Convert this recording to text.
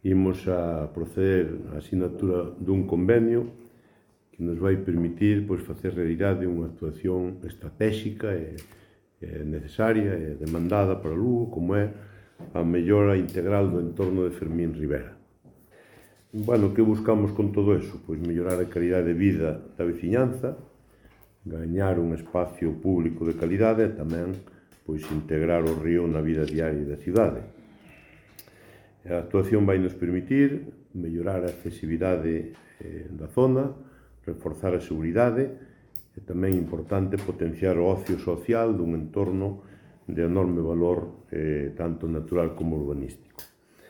imos a proceder á asinatura dun convenio que nos vai permitir facer realidade unha actuación estratégica e necesaria e demandada para Lugo, como é a mellora integral do entorno de Fermín Rivera. Que buscamos con todo eso? Mellorar a calidade de vida da veciñanza, gañar un espacio público de calidade e tamén integrar o río na vida diaria da cidade. A actuación vai nos permitir mellorar a accesibilidade da zona, reforzar a seguridade e tamén importante potenciar o ocio social dun entorno de enorme valor tanto natural como urbanístico.